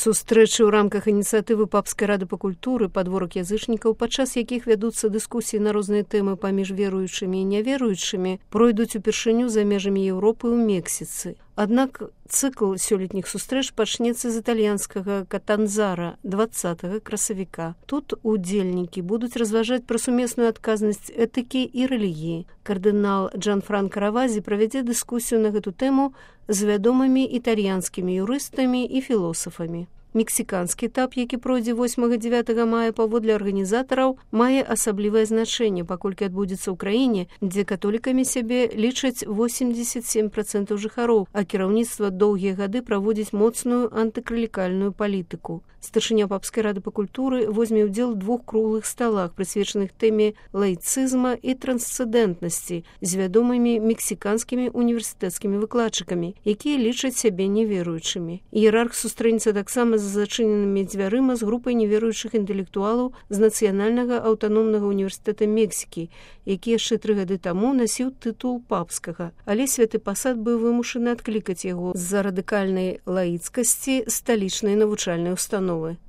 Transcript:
Сустрэчы ў рамках ініцыятывы Папскай рады па культуры «Падворак язычнікаў», падчас якіх вядуцца дыскусіі на розныя тэмы паміж веруючымі і няверуючымі, пройдуць упершыню за межамі Еўропы ў Мексіцы. Аднак цыкл сёлетніх сустрэч пачнецца з італьянскага Катанзара 20 красавіка. Тут удзельнікі будуць разважаць пра сумесную адказнасць этыкі і рэлігіі. Кардынал Джанфранка Равазі правядзе дыскусію на гэту тэму з вядомымі італьянскімі юрыстамі і філосафамі. Мексіканскі этап, які пройдзе 8-9 мая паводле арганізатараў, мае асаблівае значэнне, паколькі адбудзецца ў краіне, дзе католікамі сябе лічаць 87% жыхароў, а кіраўніцтва доўгія гады праводзіць моцную антыклерыкальную палітыку. Старшыня Папскай рады па культуры возьме ўдзел у 2 круглых сталах, прысвечаных тэме лаіцызма і трансцэндэнтнасці з вядомымі мексіканскімі універсітэцкімі выкладчыкамі, якія лічаць сябе неверуючымі. Іерарх сустрэнецца таксама з зачыненымі дзвярыма з групай неверуючых інтэлектуалаў з Нацыянальнага аўтаномнага універсітэта Мексікі, які яшчэ 3 гады таму насіў тытул папскага, але святы пасад быў вымушаны адклікаць яго з-за радыкальнай лаіцкасці сталічнай навучальнай установы.